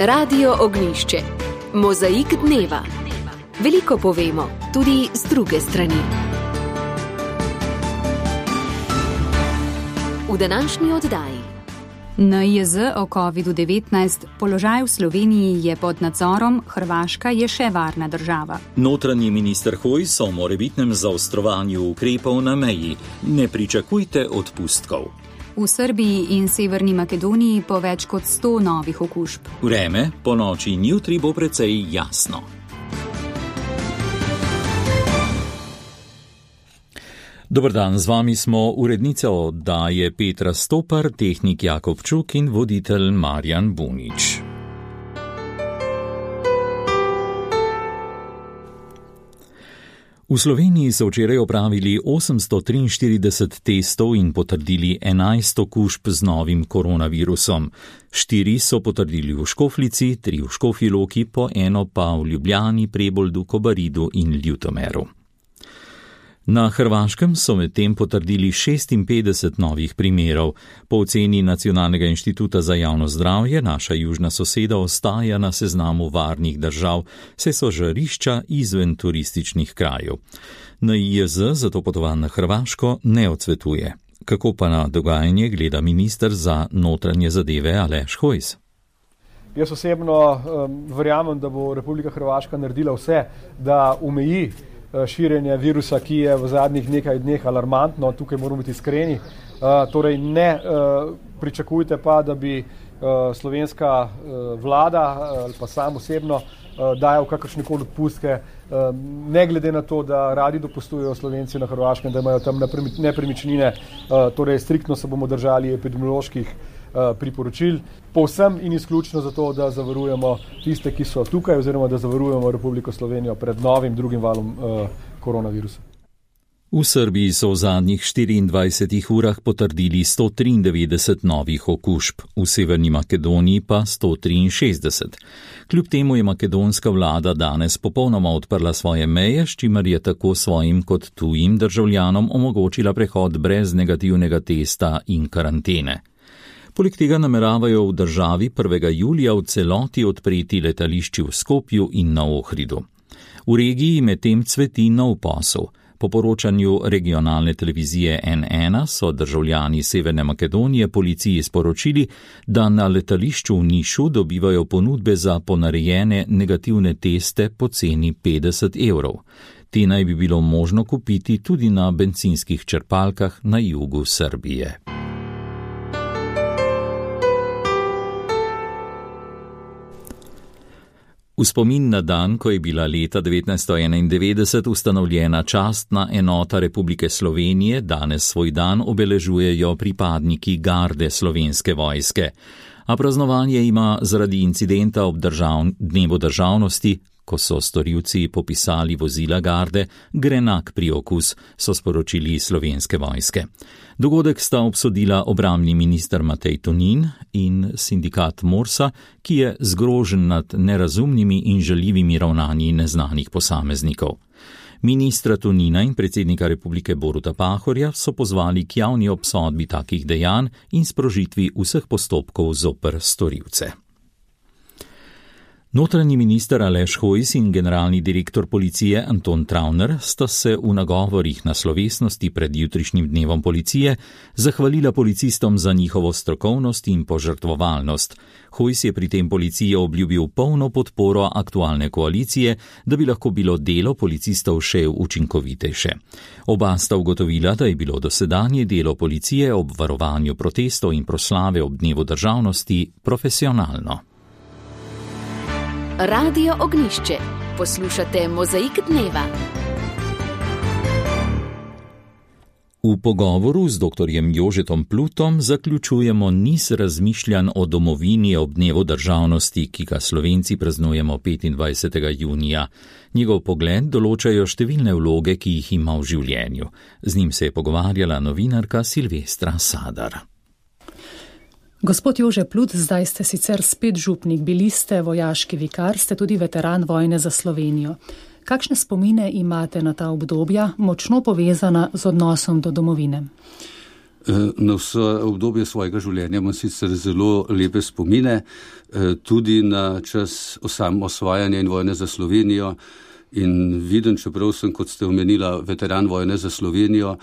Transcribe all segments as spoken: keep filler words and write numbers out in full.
Radio Ognjišče. Mozaik dneva. Veliko povemo, tudi z druge strani. V današnji oddaji. N I Z o kovidu devetnajst. Položaj v Sloveniji je pod nadzorom, Hrvaška je še varna država. Notranji minister Hojs o morebitnem zaostrovanju ukrepov na meji. Ne pričakujte odpustkov. V Srbiji in Severni Makedoniji po več kot sto novih okužb. Vreme po noči in jutri bo precej jasno. Dober dan, z vami smo urednica oddaje Petra Stopar, tehnik Jakob Čuk in voditelj Marjan Bunič. V Sloveniji so včeraj opravili osemsto triinštirideset testov in potrdili enajst okužb z novim koronavirusom. Štiri so potrdili v Škofljici, tri v Škofji Loki, po eno pa v Ljubljani, Preboldu, Kobaridu in Ljutomeru. Na Hrvaškem so medtem potrdili šestinpetdeset novih primerov. Po oceni Nacionalnega inštituta za javno zdravje naša južna soseda ostaja na seznamu varnih držav, saj so žarišča izven turističnih krajev. N I Z zato potovanj na Hrvaško ne odsvetuje. Kako pa na dogajanje gleda minister za notranje zadeve Aleš Hojs? Jaz osebno um, verjamem, da bo Republika Hrvaška naredila vse, da omeji širjenje virusa, ki je v zadnjih nekaj dneh alarmantno, tukaj moramo biti iskreni. Uh, torej ne uh, pričakujte pa, da bi uh, slovenska uh, vlada ali uh, pa sam osebno uh, dajal kakršnekoli odpustke, uh, ne glede na to, da radi dopustujejo Slovenci na Hrvaškem, da imajo tam nepremičnine, uh, torej striktno se bomo držali epidemioloških priporočil, povsem in izključno zato, da zavarujemo tiste, ki so tukaj, oziroma da zavarujemo Republiko Slovenijo pred novim drugim valom uh, koronavirusa. V Srbiji so v zadnjih štiriindvajsetih urah potrdili sto triindevetdeset novih okužb, v Severni Makedoniji pa sto triinšestdeset. Kljub temu je makedonska vlada danes popolnoma odprla svoje meje, s čimer je tako svojim kot tujim državljanom omogočila prehod brez negativnega testa in karantene. Poleg tega nameravajo v državi prvega julija v celoti odpreti letališči v Skopju in na Ohridu. V regiji medtem cveti nov posel. Po poročanju regionalne televizije N ena so državljani Severne Makedonije policiji sporočili, da na letališču v Nišu dobivajo ponudbe za ponarejene negativne teste po ceni petdeset evrov. Te naj bi bilo možno kupiti tudi na bencinskih črpalkah na jugu Srbije. V spomin na dan, ko je bila leta devetnajststo enaindevetdeset ustanovljena častna enota Republike Slovenije, danes svoj dan obeležujejo pripadniki garde Slovenske vojske. A praznovanje ima zaradi incidenta ob držav, dnevu državnosti, ko so storilci popisali vozila garde, grenak priokus, so sporočili Slovenske vojske. Dogodek sta obsodila obrambni minister Matej Tonin in sindikat Morsa, ki je zgrožen nad nerazumnimi in žaljivimi ravnanji neznanih posameznikov. Ministra Tonina in predsednika republike Boruta Pahorja so pozvali k javni obsodbi takih dejanj in sprožitvi vseh postopkov zoper storilce. Notranji minister Aleš Hojs in generalni direktor policije Anton Travner sta se v nagovorih na slovesnosti pred jutrišnjim dnevom policije zahvalila policistom za njihovo strokovnost in požrtvovalnost. Hojs je pri tem policiji obljubil polno podporo aktualne koalicije, da bi lahko bilo delo policistov še učinkovitejše. Oba sta ugotovila, da je bilo dosedanje delo policije ob varovanju protestov in proslave ob dnevu državnosti profesionalno. Radio Ognjišče. Poslušate Mozaik dneva. V pogovoru z doktorjem Jožetom Plutom zaključujemo niz razmišljanj o domovini ob dnevu državnosti, ki ga Slovenci praznujemo petindvajsetega junija. Njegov pogled določajo številne vloge, ki jih ima v življenju. Z njim se je pogovarjala novinarka Silvestra Sadar. Gospod Jože Plut, zdaj ste sicer spet župnik, bili ste vojaški vikar, ste tudi veteran vojne za Slovenijo. Kakšne spomine imate na ta obdobja, močno povezana z odnosom do domovine? Na vse obdobje svojega življenja imam sicer zelo lepe spomine, tudi na čas osamosvajanja in vojne za Slovenijo. In vidim, čeprav sem, kot ste omenila, veteran vojne za Slovenijo,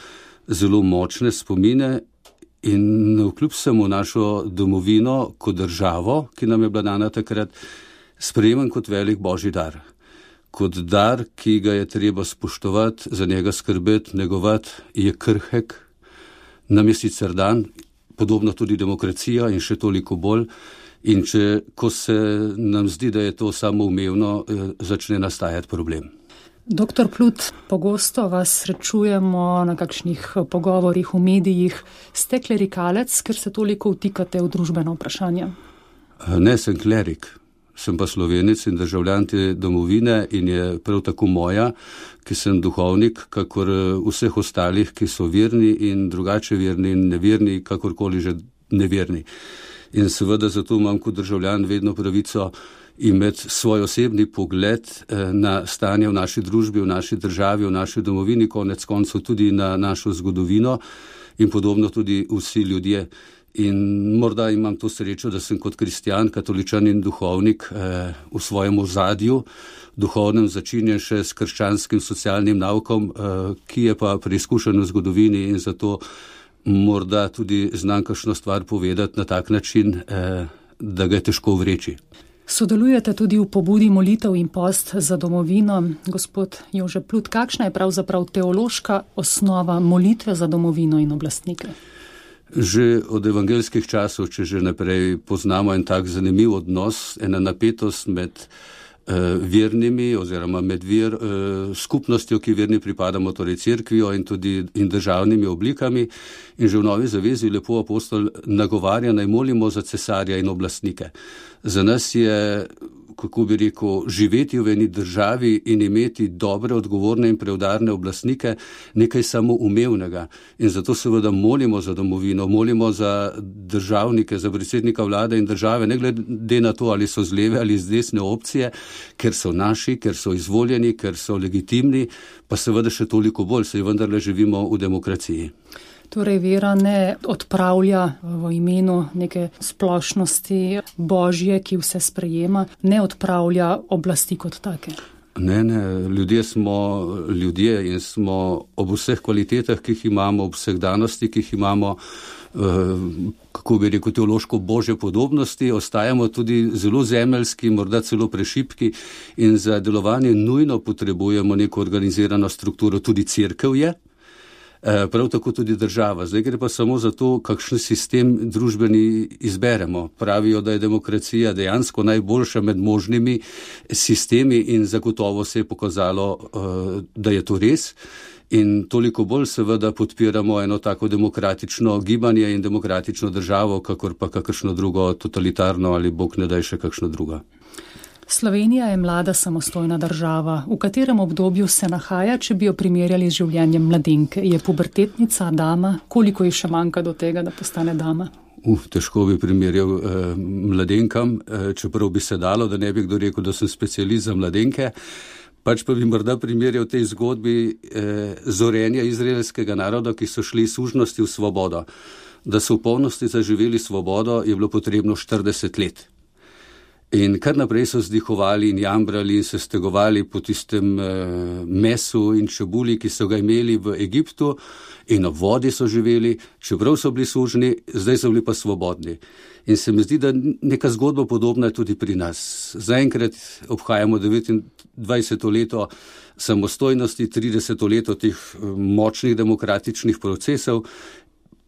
zelo močne spomine in navkljub vsemu našo domovino kot državo, ki nam je bila dana takrat, sprejemam kot velik božji dar. Kot dar, ki ga je treba spoštovati, za njega skrbeti, negovati, je krhek. Nam je sicer dan, podobno tudi demokracija in še toliko bolj. In če, ko se nam zdi, da je to samoumevno, začne nastajati problem. Doktor Plut, pogosto vas srečujemo na kakšnih pogovorih v medijih. Ste klerikalec, ker se toliko vtikate v družbeno vprašanje? Ne, sem klerik. Sem pa Slovenec in državljan te domovine in je prav tako moja, ki sem duhovnik, kakor vseh ostalih, ki so verni in drugače verni in neverni, kakorkoli že neverni. In seveda zato imam kot državljan vedno pravico imeti svoj osebni pogled na stanje v naši družbi, v naši državi, v naši domovini, konec koncev tudi na našo zgodovino in podobno tudi vsi ljudje. In morda imam to srečo, da sem kot kristjan, katoličan in duhovnik eh, v svojem ozadju, duhovnem začinjen še s krščanskim socialnim naukom, eh, ki je pa preizkušen v zgodovini in zato morda tudi znam kakšno stvar povedati na tak način, eh, da ga je težko vreči. Sodelujete tudi v pobudi molitev in post za domovino. Gospod Jože Plut, kakšna je pravzaprav teološka osnova molitve za domovino in oblastnike? Že od evangelskih časov, če že naprej poznamo en tak zanimiv odnos, ena napetost med eh, vernimi oziroma med ver, eh, skupnostjo, ki verni pripadamo, torej cerkvijo in tudi in državnimi oblikami. In že v Novi zavezi lepo apostol nagovarja, naj molimo za cesarja in oblastnike. Za nas je, kako bi rekel, živeti v eni državi in imeti dobre, odgovorne in preudarne oblastnike nekaj samoumevnega. In zato seveda molimo za domovino, molimo za državnike, za predsednika vlade in države, ne glede na to, ali so z leve ali z desne opcije, ker so naši, ker so izvoljeni, ker so legitimni, pa seveda še toliko bolj, saj vendarle živimo v demokraciji. Torej vera ne odpravlja v imenu neke splošnosti Božje, ki vse sprejema, ne odpravlja oblasti kot take. Ne, ne, ljudje smo ljudje in smo ob vseh kvalitetah, ki jih imamo, ob vseh danosti, ki jih imamo, kako bi rekel, teološko božje podobnosti, ostajamo tudi zelo zemeljski, morda celo prešipki in za delovanje nujno potrebujemo neko organizirano strukturo, tudi cerkev je. Prav tako tudi država. Zdaj gre pa samo za to, kakšen sistem družbeni izberemo. Pravijo, da je demokracija dejansko najboljša med možnimi sistemi in zagotovo se je pokazalo, da je to res. In toliko bolj seveda podpiramo eno tako demokratično gibanje in demokratično državo, kakor pa kakršno drugo totalitarno ali bog ne daj še kakšno drugo. Slovenija je mlada samostojna država. V katerem obdobju se nahaja, če bi jo primerjali z življenjem mladenke? Je pubertetnica, dama? Koliko ji še manjka do tega, da postane dama? Uf, težko bi primerjal eh, mladenkam, eh, čeprav bi se dalo, da ne bi kdo rekel, da sem specialist za mladenke. Pač pa bi morda primerjal tej zgodbi eh, zorenja izraelskega naroda, ki so šli iz sužnosti v svobodo. Da so v polnosti zaživeli svobodo, je bilo potrebno štirideset let. In kar naprej so zdihovali in jambrali in se stegovali po tistem eh, mesu in čebuli, ki so ga imeli v Egiptu, in ob vodi so živeli, čeprav so bili sužni, zdaj so bili pa svobodni. In se mi zdi, da neka zgodba podobna je tudi pri nas. Zaenkrat obhajamo devetindvajseto leto samostojnosti, trideseto leto teh močnih demokratičnih procesov,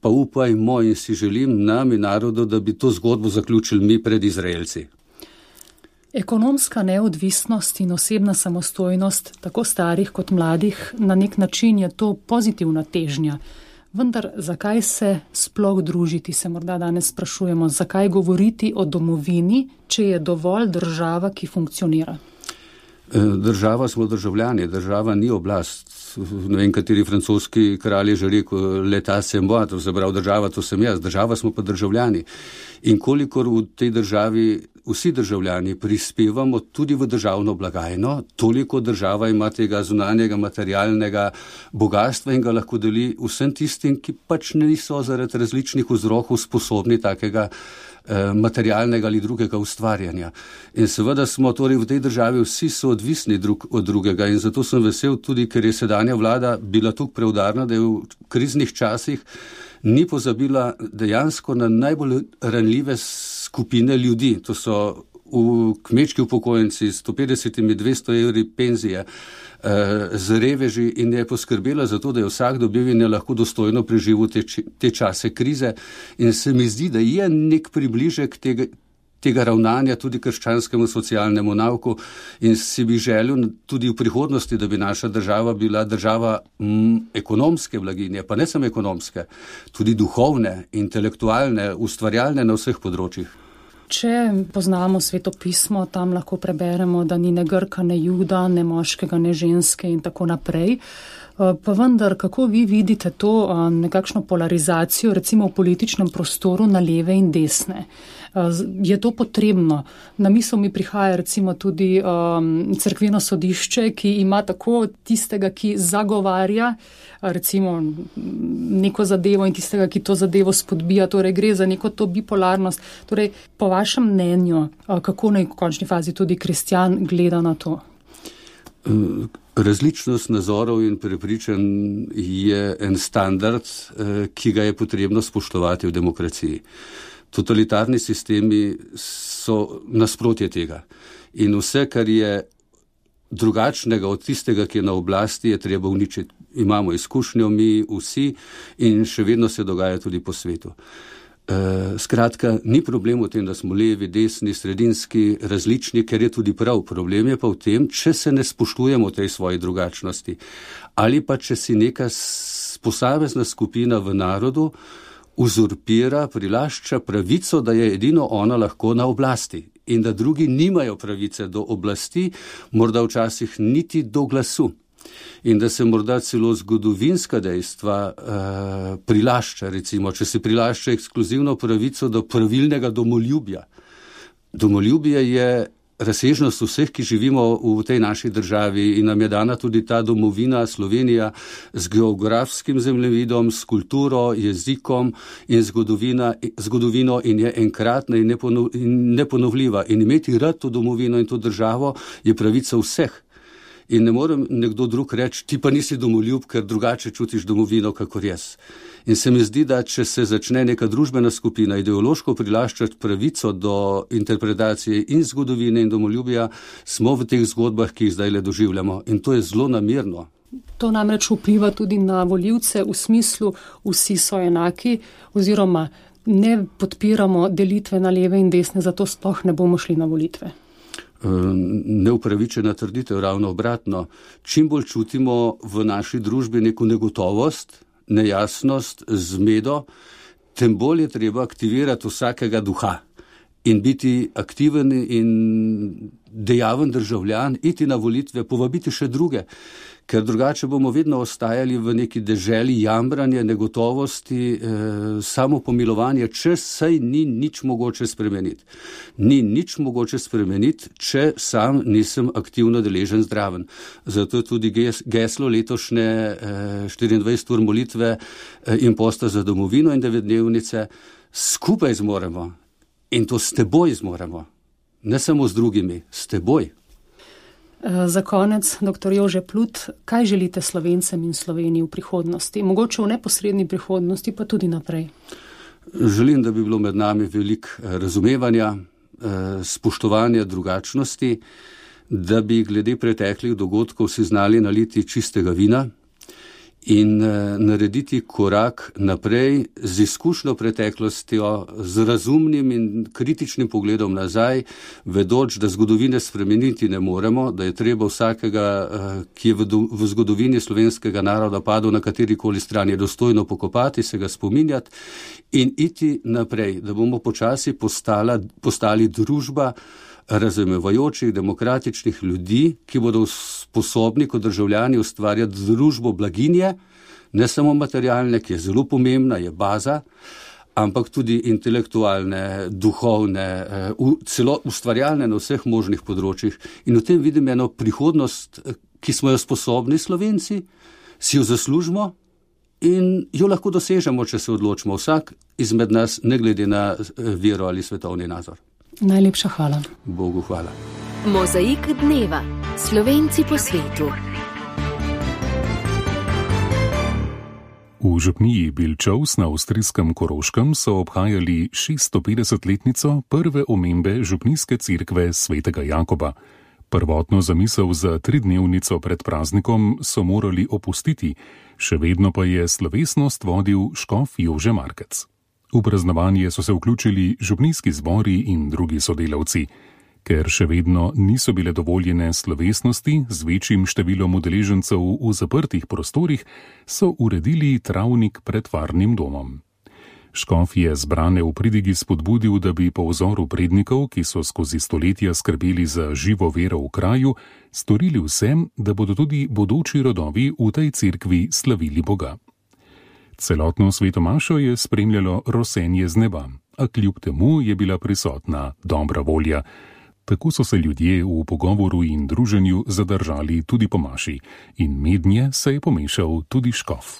pa upajmo in si želim nam in narodu, da bi to zgodbo zaključili mi pred Izraelci. Ekonomska neodvisnost in osebna samostojnost tako starih kot mladih, na nek način je to pozitivna težnja. Vendar zakaj se sploh družiti, se morda danes sprašujemo, zakaj govoriti o domovini, če je dovolj država, ki funkcionira? Država smo državljani, država ni oblast. Ne vem, kateri francoski kralj je že rekel, leta sem moi, to se pravi, država to sem jaz, država smo pa državljani. In kolikor v tej državi vsi državljani prispevamo tudi v državno blagajno, toliko država ima tega zunanjega materialnega bogatstva in ga lahko deli vsem tistim, ki pač niso zaradi različnih vzrokov sposobni takega materialnega ali drugega ustvarjanja. In seveda smo torej v tej državi vsi so odvisni drug od drugega in zato sem vesel tudi, ker je sedanja vlada bila tukaj preudarna, da je v kriznih časih ni pozabila dejansko na najbolj ranljive skupine ljudi. To so v kmečki upokojenci s sto petdeset do dvesto evri penzije, z reveži in je poskrbela za to, da je vsak dobil in je lahko dostojno preživel te, te čase krize. In se mi zdi, da je nek približek tega, tega ravnanja tudi krščanskemu socialnemu nauku in si bi želel tudi v prihodnosti, da bi naša država bila država m, ekonomske blaginje, pa ne samo ekonomske, tudi duhovne, intelektualne, ustvarjalne na vseh področjih. Če poznamo Sveto pismo, tam lahko preberemo, da ni ne Grka, ne Juda, ne moškega, ne ženske in tako naprej. Pa vendar, kako vi vidite to nekakšno polarizacijo, recimo v političnem prostoru na leve in desne? Je to potrebno? Na misel mi prihaja recimo tudi um, cerkveno sodišče, ki ima tako tistega, ki zagovarja recimo neko zadevo in tistega, ki to zadevo spodbija. Torej gre za neko to bipolarnost. Torej, po vašem mnenju, kako naj v končni fazi tudi kristjan gleda na to? Različnost nazorov in prepričanj je en standard, ki ga je potrebno spoštovati v demokraciji. Totalitarni sistemi so nasprotje tega. In vse, kar je drugačnega od tistega, ki je na oblasti, je treba uničiti. Imamo izkušnjo mi vsi in še vedno se dogaja tudi po svetu. E, skratka, ni problem v tem, da smo levi, desni, sredinski, različni, ker je tudi prav. Problem je pa v tem, če se ne spoštujemo tej svoji drugačnosti. Ali pa, če si neka posamezna skupina v narodu uzurpira, prilašča pravico, da je edino ona lahko na oblasti in da drugi nimajo pravice do oblasti, morda včasih niti do glasu. In da se morda celo zgodovinska dejstva uh, prilašča, recimo, če se prilašča ekskluzivno pravico do pravilnega domoljubja. Domoljubje je razsežnost vseh, ki živimo v tej naši državi in nam je dana tudi ta domovina Slovenija z geografskim zemljevidom, s kulturo, jezikom in zgodovino in je enkratna in, neponov, in neponovljiva. In imeti rad to domovino in to državo je pravica vseh. In ne morem nekdo drug reči, ti pa nisi domoljub, ker drugače čutiš domovino, kakor jaz. In se mi zdi, da če se začne neka družbena skupina ideološko prilaščati pravico do interpretacije in zgodovine in domoljubja, smo v teh zgodbah, ki jih zdaj le doživljamo. In to je zelo namerno. To namreč vpliva tudi na volivce v smislu, vsi so enaki, oziroma ne podpiramo delitve na leve in desne, zato sploh ne bomo šli na volitve. Neupravičena trditev, ravno obratno. Čim bolj čutimo v naši družbi neko negotovost, nejasnost, zmedo, tem bolj je treba aktivirati vsakega duha in biti aktiven in dejaven državljan, iti na volitve, povabiti še druge, ker drugače bomo vedno ostajali v neki deželi jamranja, negotovosti, eh, samopomilovanja, če saj ni nič mogoče spremeniti. Ni nič mogoče spremeniti, če sam nisem aktivno deležen zdraven. Zato je tudi geslo letošnje eh, štiriindvajset ur molitve eh, in posta za domovino in devetdnevnice skupaj zmoremo. In to s teboj zmoremo. Ne samo z drugimi, s teboj. Za konec, doktor Jože Plut, kaj želite Slovencem in Sloveniji v prihodnosti? Mogoče v neposredni prihodnosti, pa tudi naprej. Želim, da bi bilo med nami veliko razumevanja, spoštovanja drugačnosti, da bi glede preteklih dogodkov si znali naliti čistega vina in narediti korak naprej z izkušnjo preteklostjo, z razumnim in kritičnim pogledom nazaj, vedoč, da zgodovine spremeniti ne moremo, da je treba vsakega, ki je v, do, v zgodovini slovenskega naroda padel na katerikoli strani, dostojno pokopati, se ga spominjati in iti naprej, da bomo počasi postala, postali družba, razumevajočih, demokratičnih ljudi, ki bodo sposobni kot državljani ustvarjati družbo blaginje, ne samo materialne, ki je zelo pomembna, je baza, ampak tudi intelektualne, duhovne, celo ustvarjalne na vseh možnih področjih. In v tem vidim eno prihodnost, ki smo jo sposobni Slovenci, si jo zaslužimo in jo lahko dosežemo, če se odločimo vsak izmed nas, ne glede na vero ali svetovni nazor. Najlepša hvala. Bogu hvala. Mozaik dneva. Slovenci po svetu. V župniji Bilčovs na avstrijskem Koroškem so obhajali šeststopetdesetletnico prve omembe župnijske cerkve svetega Jakoba. Prvotno zamisel za tridnevnico pred praznikom so morali opustiti, še vedno pa je slovesnost vodil škof Jože Markec. V praznovanje so se vključili župnijski zbori in drugi sodelavci. Ker še vedno niso bile dovoljene slovesnosti z večjim številom udeležencev v zaprtih prostorih, so uredili travnik pred varnim domom. Škof je zbrane v pridigi spodbudil, da bi po vzoru prednikov, ki so skozi stoletja skrbeli za živo vero v kraju, storili vse, da bodo tudi bodoči rodovi v tej cerkvi slavili Boga. Celotno svetomašo je spremljalo rosenje z neba, a kljub temu je bila prisotna dobra volja. Tako so se ljudje v pogovoru in druženju zadržali tudi po maši in mednje se je pomešal tudi škof.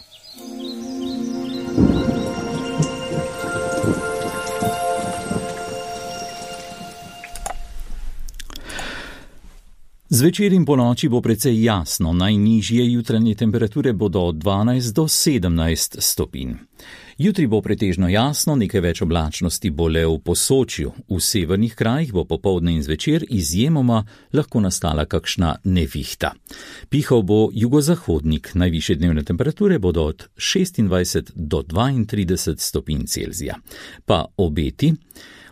Zvečer in ponoči bo precej jasno, najnižje jutranje temperature bodo od dvanajst do sedemnajst stopinj. Jutri bo pretežno jasno, nekaj več oblačnosti bo le v Posočju. V severnih krajih bo popoldne in zvečer izjemoma lahko nastala kakšna nevihta. Pihal bo jugozahodnik, najvišje dnevne temperature bodo od šestindvajset do dvaintrideset stopinj Celzija. Pa obeti.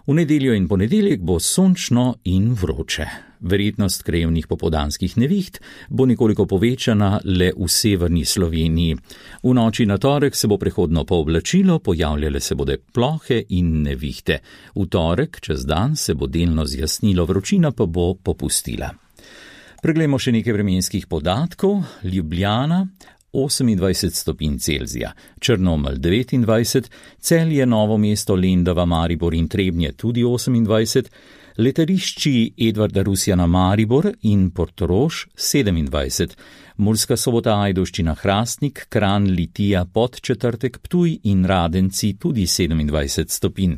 V nedeljo in ponedeljek bo sončno in vroče. Verjetnost krajevnih popoldanskih neviht bo nekoliko povečana le v severni Sloveniji. V noči na torek se bo prehodno pooblačilo, pojavljale se bodo plohe in nevihte. V torek čez dan se bo delno zjasnilo, vročina pa bo popustila. Preglejmo še nekaj vremenskih podatkov. Ljubljana osemindvajset stopinj Celzija, Črnomelj devetindvajset, Celje, Novo mesto, Lendava, Maribor in Trebnje tudi osemindvajset, letališči Edvarda Rusjana Maribor in Portorož sedemindvajset, Murska Sobota, Ajdovščina, Hrastnik, Kranj, Litija, Podčetrtek, Ptuj in Radenci tudi sedemindvajset stopinj.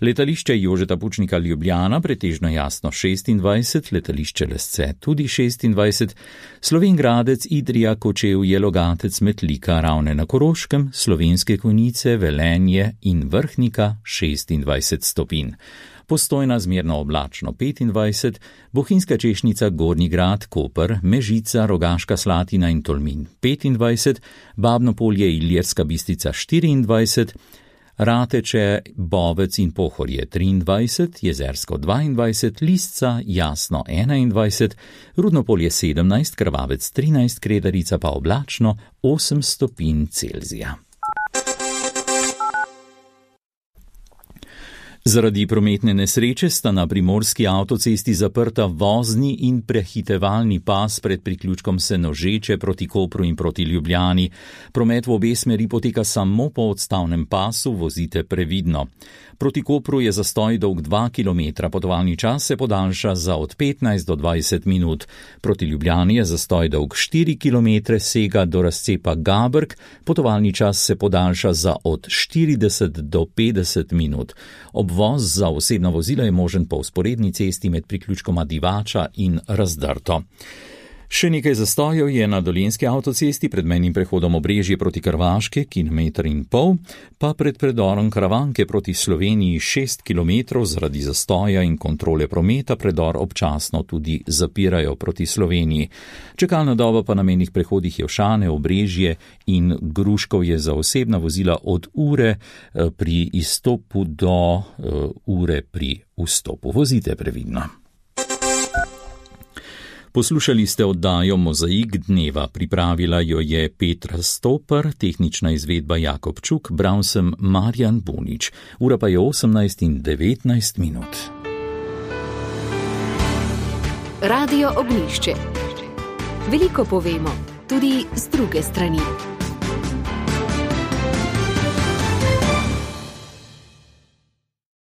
Letališče Jožeta Pučnika Ljubljana, pretežno jasno šestindvajset, letališče Lesce tudi šestindvajset, Slovenj Gradec, Idrija, Kočevje, Logatec, Metlika, Ravne na Koroškem, Slovenske Konjice, Velenje in Vrhnika šestindvajset stopinj. Postojna zmerno oblačno petindvajset, Bohinjska Češnica, Gornji Grad, Koper, Mežica, Rogaška Slatina in Tolmin petindvajset, Babno Polje, Ilirska Bistrica štiriindvajset, Rateče, Bovec in Pohorje triindvajset, Jezersko dvaindvajset, Lisca, Jasno enaindvajset, Rudno Polje sedemnajst, Krvavec trinajst, Kredarica pa oblačno osem stopinj Celzija. Zaradi prometne nesreče sta na primorski avtocesti zaprta vozni in prehitevalni pas pred priključkom Senožeče proti Kopru in proti Ljubljani. Promet v obe smeri poteka samo po odstavnem pasu, vozite previdno. Proti Kopru je zastoj dolg dva kilometra, potovalni čas se podaljša za od petnajst do dvajset minut. Proti Ljubljani je zastoj dolg štiri kilometre, sega do razcepa Gabrk, potovalni čas se podaljša za od štirideset do petdeset minut. Obvoz za osebna vozila je možen po vzporedni cesti med priključkoma Divača in Razdrto. Še nekaj zastojev je na Dolenjski avtocesti pred mejnim prehodom Obrežje proti Krvaške, kilometer in pol, pa pred predorom Karavanke proti Sloveniji šest kilometrov zaradi zastoja in kontrole prometa predor občasno tudi zapirajo proti Sloveniji. Čakalna doba pa na mejnih prehodih Jevšane, Obrežje in Gruškov je za osebna vozila od ure pri izstopu do uh, ure pri vstopu. Vozite previdno. Poslušali ste oddajo Mozaik dneva, pripravila jo je Petra Stopar, tehnična izvedba Jakob Čuk, bral sem Marjan Bunič. Ura pa je osemnajst in devetnajst minut. Radio Ognjišče. Veliko povemo, tudi z druge strani.